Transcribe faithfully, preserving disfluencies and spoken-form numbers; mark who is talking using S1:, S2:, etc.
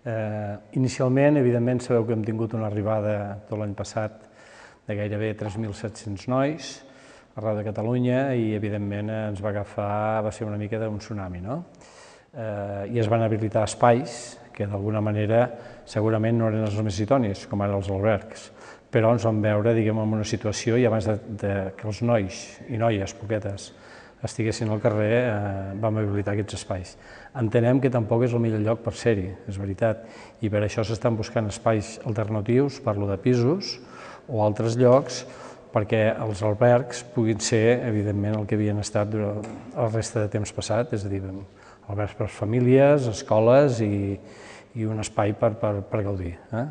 S1: Eh, inicialment, evidentment, sabeu que hem tingut una arribada tot l'any passat de gairebé tres mil set-cents nois arreu de Catalunya i, evidentment, ens va agafar, va ser una mica d'un tsunami, no? Eh, I es van habilitar espais que, d'alguna manera, segurament no eren els més idonis, com ara els albergs, però ens vam veure, diguem, en una situació i abans de, de que els nois i noies, poquetes, estiguessin al carrer, eh, vam habilitar aquests espais. Entenem que tampoc és el millor lloc per ser-hi, és veritat, i per això s'estan buscant espais alternatius, parlo de pisos o altres llocs, perquè els albergs puguin ser, evidentment, el que havien estat durant el resta de temps passat, és a dir, albergs per famílies, escoles i, i un espai per, per, per gaudir. Eh?